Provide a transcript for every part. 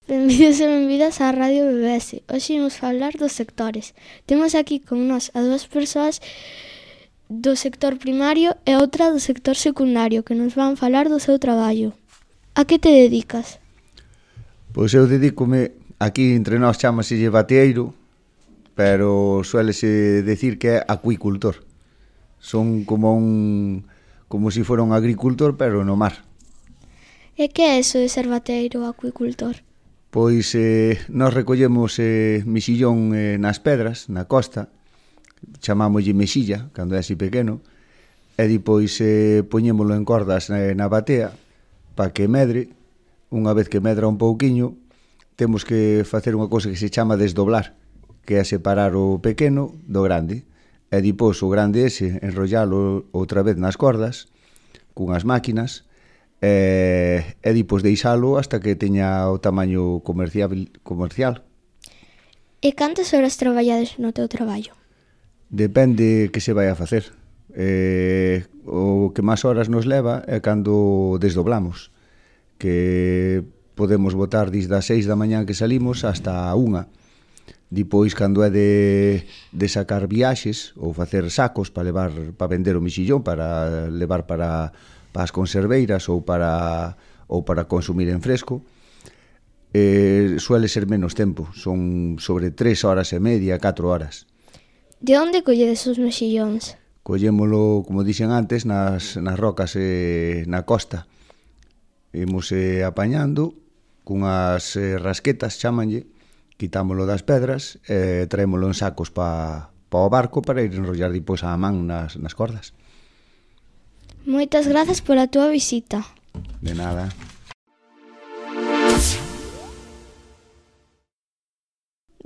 Benvidos e benvidas á Radio BBS. Hoxe imos falar dos sectores. Temos aquí con nós a dúas persoas do sector primario e outra do sector secundario que nos van falar do seu traballo. A que te dedicas? Pois eu dedícome, aquí entre nós chámaselle bateeiro, pero suélese decir que é acuicultor. Son como si fora un agricultor, pero no mar. E que é eso de ser bateeiro ou acuicultor? Pois nós recollemos mexillón nas pedras, na costa, chamámoslle mexilla, cando é así pequeno, e depois poñémolo en cordas na batea, para que medre. Unha vez que medra un pouquiño, temos que facer unha cousa que se chama desdoblar, que é separar o pequeno do grande, e depois o grande ese enrollalo outra vez nas cordas, cunhas máquinas, e depois deixalo hasta que teña o tamaño comercial. E cantas horas traballades no teu traballo? Depende que se vai a facer. O que máis horas nos leva é cando desdoblamos, que podemos botar desde as 6 da mañá que salimos hasta a 1. Depois, cando é de sacar viaxes ou facer sacos para vender o mexillón, para levar para as conserveiras ou para consumir en fresco, suele ser menos tempo, son sobre 3 horas e media, 4 horas. De onde colledes os mexillóns? Collémolo, como dixen antes, nas rocas na costa. Imos apañando cunhas rasquetas, chámanlle, quitámolo das pedras e traémolo en sacos para o barco para ir enrollar depois a man nas cordas. Moitas grazas pola túa visita. De nada.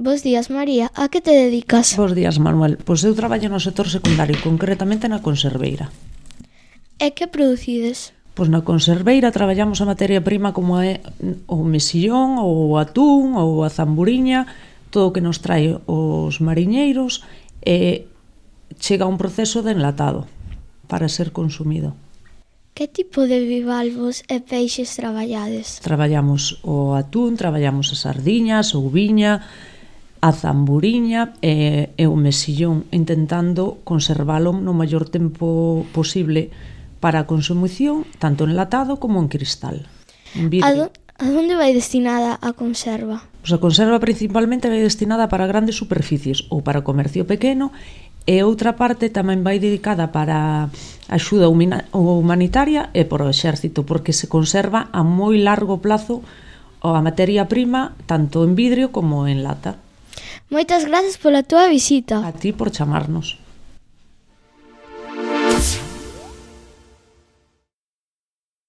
Bos días, María. A que te dedicas? Bos días, Manuel. Pois eu traballo no sector secundario, concretamente na conserveira. E que producides? Pois na conserveira traballamos a materia prima como é o mexillón, ou o atún, ou a zamburiña, todo o que nos trae os mariñeiros, e chega a un proceso de enlatado para ser consumido. Que tipo de bivalvos e peixes traballades? Traballamos o atún, traballamos as sardiñas, a uviña, a zamburiña e o mexillón, intentando conservalo no maior tempo posible para a consumición, tanto enlatado como en cristal, en vidrio. A onde vai destinada a conserva? Pois a conserva principalmente vai destinada para grandes superficies ou para comercio pequeno, e outra parte tamén vai dedicada para axuda humanitaria e por o exército, porque se conserva a moi largo plazo a materia prima, tanto en vidrio como en lata. Moitas grazas pola túa visita. A ti por chamarnos.